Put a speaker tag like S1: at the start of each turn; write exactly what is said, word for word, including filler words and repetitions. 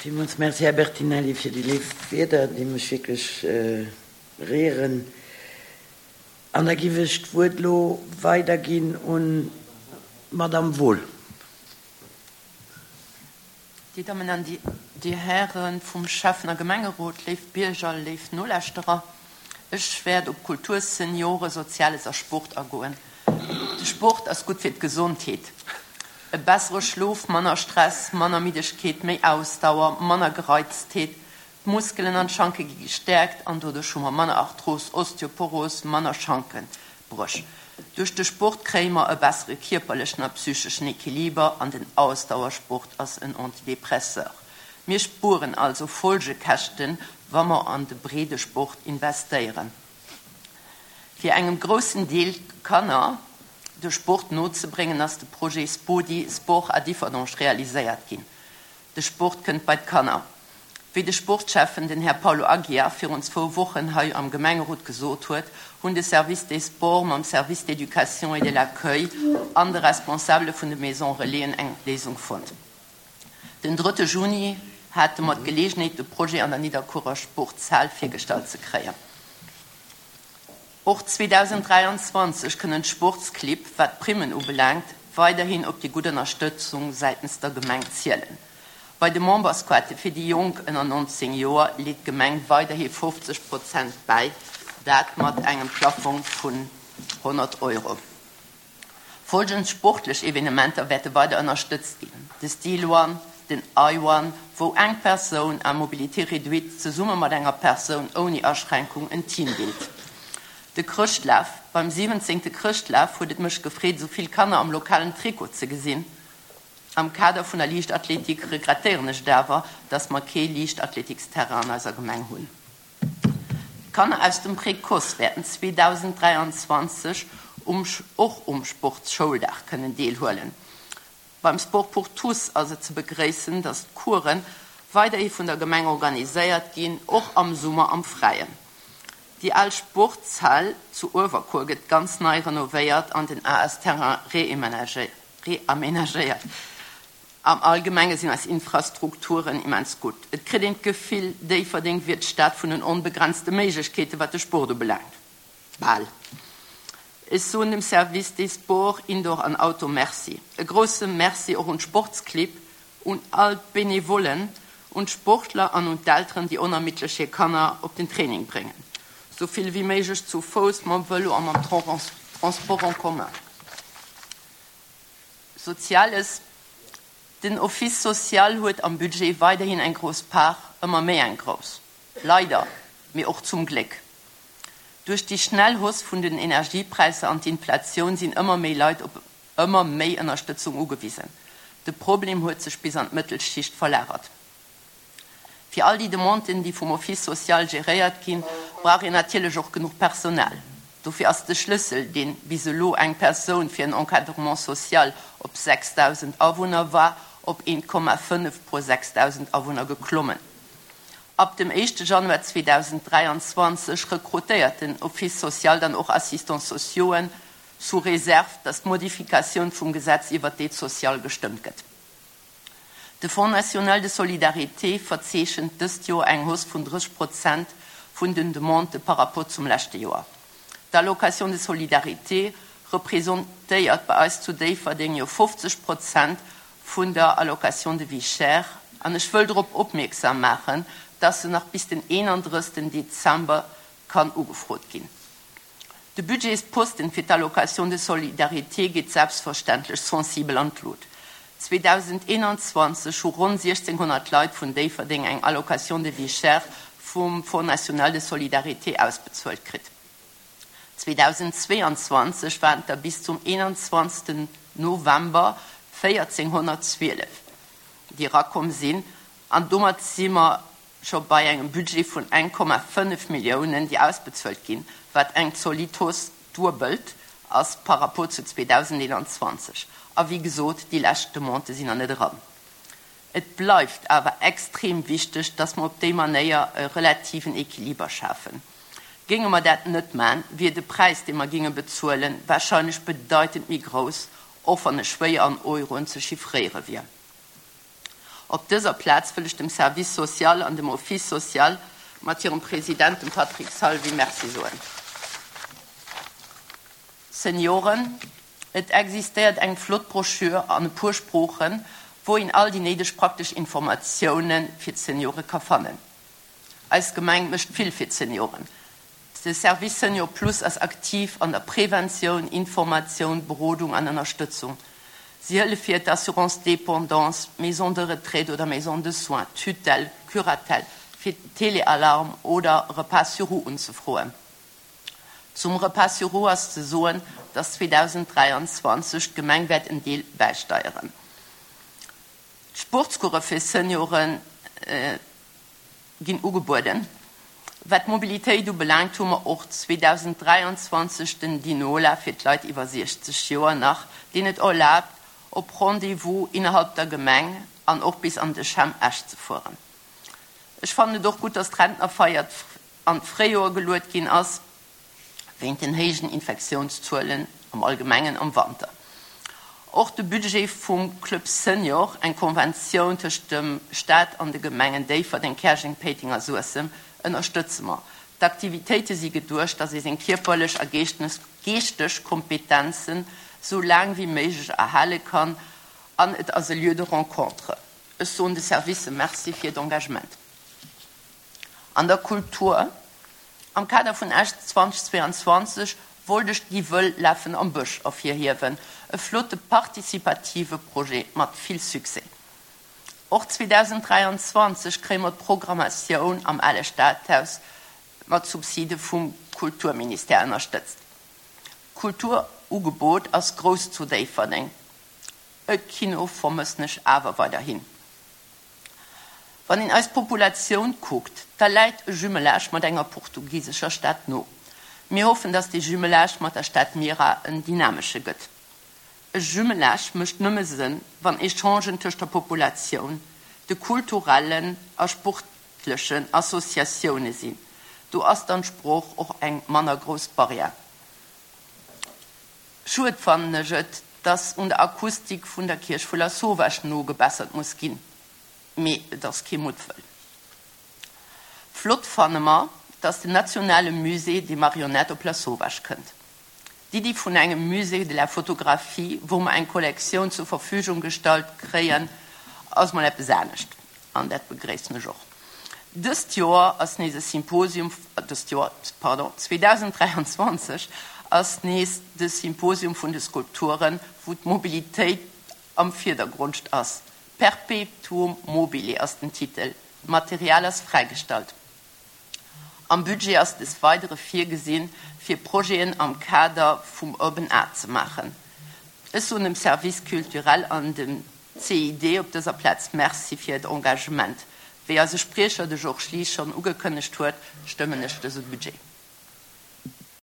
S1: Villmools Merci, Här Bertinelli, fir déi léif Wierder, déi mech wierklech réieren. An da giff ech d'Wuert elo weiderginn un d'Madame Wohl.
S2: Dir Dammen an Dir Häre vum Schäffen a Gemengerot, léif Bierger, léif Nolauschterer, ech wäert op Kultur, Seniore, Soziales a Sport agoen. De Sport ass gutt fir d'Gesondheet. E bessere Schlof, manner Stress, manner Middegkeet, méi Ausdauer, manner Gereiztheet, d'Muskelen an d'Schanke gi gestäerkt an doduerch hu mer manner Arthros, Osteoporos, manner Schankenbréch. Duerch de Sport kréie mer e bessere kierperlechen a psycheschen Equiliber an den Ausdauersport ass en Antidepresseur. Mir spueren also Folgekäschten, wa mer an de Breedesport investéieren. Fir engem groussen Deel Kanner de Sport nozebréngen, ass de Projet Spodi, Sport à Differdange realiséiert ginn. De Sport kënnt bei d'Kanner. Wéi de Sportschäffen, den Här Paulo Aguiar, virun zwou Wochen hei am Gemengerot gesot huet, hunn de Service des Sports mam Service d'éducation et de l'accueil an de Responsabele vun de Maisons Relaisen eng Léisung fonnt. Den drëtte Juni hate mer d'Geleegenheet, de Projet an der Nidderkuerer Sportshal virgestallt ze kréien. Och zweedausenddräianzwanzeg kënnen d'Sportsclibb, wat d'Primmen ubelaangt, weiderhin op déi gutt Ënnerstëtzung säitens der Gemeng zielen. Bei de Memberskaarte fir déi Jonk ënner nonzéng Joer leet d'Gemeng weiderhi fofzeg Prozent bäi, dat mat engem Plafong vun honnert Euro. Folgend sportlech Evenementer wäerte weider ënnerstëtzt ginn, de Steel One, den I-One, wou eng Persoun à mobilité réduite zesumme mat enger Persoun ouni Aschränkung en Team bilt. De Chrëschtlaf, Beim siwwenzéngte Chrëschtlaf huet et mech gefreet, esou vill Kanner am lokalen Trikot ze gesinn. Am Kader vun der Liichtathletik regrettéieren ech et awer, dass mer kee Liichtathletiksterrain an eiser Gemeng hunn. D'Kanner aus dem Précoce wäerten zweedausenddräianzwanzeg um och um Sportschouldag kënnen deelhuelen. Beim Sport pour tous ass et ze begréissen, dass d'Coursen weiderhi vun der Gemeng organiséiert ginn, och am Summer am Fräien. Déi al Sportshal zu Uewerkuer gëtt ganz nei renovéiert an den A S-Terrain reamenagéiert. Am Allgemenge sinn eis Infrastrukturen immens gutt. Et kritt een d'Gefill, Déifferdeng wier d'Stad vun den onbegrenzte Méiglechkeeten, wat de Sport ubelaangt. Bal. Ech soen dem Service des Sports, Indoor an Outdoor, Merci. E grousse Merci och un d'Sportsclibb, un all d'Benevollen, un d'Sportler an un d'Elteren, déi onermiddlech hir Kanner op den Training bréngen. Sou vill wéi méiglech zu Fouss, mam Vëlo a mam Transport en commun. Soziales, Den Office social huet am Budget weiderhin eng grouss Part, ëmmer méi eng grouss. Leider, mee och zum Gléck. Duerch déi schnell Hausse vun den Energiepräisser an d'Inflatioun sinn ëmmer méi Leit op ëmmer méi Ënnerstëtzung ugewisen. De Problem huet sech bis an d'Mëttelschicht verlagert. Fir all déi Demanden, déi vum Office social geréiert ginn, brauch een natierlech och genuch Personal. Dofir ass de Schlëssel, dee bis elo eng Persoun fir en Encadrement social op sechsdausend Awunner war, op een Komma fënnef pro sechsdausend Awunner geklommen. Ab dem éischte Januar zweedausenddräianzwanzeg rekrutéiert den Office social dann och Assistants sociauxen, sous réserve, dass d'Modifikatioun vum Gesetz iwwert d'Aide sociale gestëmmt gëtt. De Fonds national de solidarité verzeechent dëst Joer eng Hausse vun drësseg Prozent vun den Demandë par rapport zum leschte Joer. D'Allocation de solidarité representéiert bei eis zu Déifferdeng jo fofzeg Prozent vun der Allocation de vie chère an ech wëll drop opmierksam maachen, dass se nach bis den eenandrëssegsten Dezember kann ugefrot ginn. De Budgetsposten fir d'Allocation de solidarité geet selbstverständlech sensibel an d'Lut. zweedausendeenanzwanzeg hu ronn siechzénghonnert Leit vun Déifferdeng eng Allocation de vie chère vum Fonds national de solidarité ausbezuelt kritt. zweedausendzweeanzwanzeg waren et der bis zum eenanzwanzegsten November véierzénghonnertzwielef, déi erakomm sinn, an domat si mer scho bei engem Budget vun eng Komma fënnef Milliounen, déi ausbezuelt ginn, wat eng zolidd Hausse duebelt ass par rapport zu zweedausendeenanzwanzeg. A wéi gesot, déi lescht Demandë sinn nach net eran. Et bleift awer extrem wichteg, dass mer op déi Manéier e relativen Equiliber schafen. Géinge mer dat net man, wier de Präis, dee mer géinge bezuelen, warscheinlech bedeitend méi grouss, och wann e schwéier an Euroen ze chiffréiere wier. Op dëser Plaz wëll ech dem Service social an dem Office social mat hirem President, dem Patrick Salvi, Merci soen. Senioren, et existéiert eng flott Broschür an e puer Sproochen, wou een all déi néideg praktesch Informatioune fir d'Seniore ka fannen. Eis Gemeng mécht vill fir d'Senioren. De Service Senior Plus ass aktiv an der Preventioun, Informatioun, Berodung an Ënnerstëtzung. Si hëllef fir d'Assurance dépendance, Maison de retraite oder Maison de soins, Tutelle, Curatelle, fir Téléalarme oder Repas sur roues unzefroen. Zum Repas sur roues ass ze soen, dass zweedausenddräianzwanzeg d'Gemeng wäert en Deel bäisteieren. D'Sportscourse fir Senioren ginn ugebueden. Wat d'Mobilitéit ubelaangt, hu mer och zweedausenddräianzwanzeg den Dinola fir d'Leit iwwer siechzeg Joer nach, deen et erlaabt, op Rendez-vous innerhalb der Gemeng an och bis an de CHEM Esch ze fueren. Ech fannen et och gutt, dass d'Rentnerfeier an d'Fréijoer geluet ginn ass, wéint den héijen Infektiounszuelen am Allgemengen am Wanter. Och de Budget vum Club Senior, eng Konventioun tëscht dem Staat an de Gemengen Déifferdeng, Käerjeng, Péiteng a Suessem, ënnerstëtze mer. D'Aktivitéite si geduecht, dass ee seng kierperlech a geeschteg Kompetenzen sou laang wéi méiglech erhale kann an et ass e Lieu de rencontre. Ech soen de Servicë Merci fir hiert Engagement. An der Kultur, Am Kader vun Esch zweedausendzweianzwanzeg wollt ech déi Wëll Lafen am Bësch ervirhiewen, e flotte partizipative Projet mat vill Succès. Och zweedausenddräianzwanzeg kréie mer d'Programmatioun am Ale Stadhaus mat Subside vum Kulturministère ënnerstëtzt. D'Kulturugebot ass grouss zu Déifferdeng. E Kino vermëssen ech awer weiderhin. Wann een eis Populatioun kuckt, da läit e Jumelage mat enger portugisescher Stad no. Mir hoffen, dass dee Jumelage mat der Stad Mira en dynamesche gëtt. E Jumelage mécht nëmme Sënn, wann Echangen tëscht der Populatioun, de kulturellen a sportlechen Associatioune sinn. Do ass dann d'Sprooch och eng manner grouss Barrière. Schued fannen ech et, dass un der Akustik vun der Kierch vu Lasauvage nogebessert muss ginn. Mee et ass kee Muttwëll. Flott fanne mer, dass den nationale Musée des Marionnettes op Lasauvage kënnt. D'Iddi vun engem Musée de la photographie, wou mer eng Kollektioun zur Verfügung gestallt kréien, ass mol eppes anescht an dat begréissen ech och. Dëst Joer ass nees e Symposium, dëst Joer, pardon, zweedausenddräianzwanzeg ass nees de Symposium vun de Skulpturen, wou d'Mobilitéit am Virdergrond ass. Perpetuum mobile ass den Titel. D'Material ass fräigestallt. Am Budget ass des Weidere virgesinn, fir Projeten am Kader vum Urban Art ze maachen. Ech soen dem Service culturel an dem C I D op dëser Plaz Merci fir hiert Engagement. Wéi eise Spriecher, de Georges Lies, schonn ugekënnegt huet, stëmmen ech dëse Budget.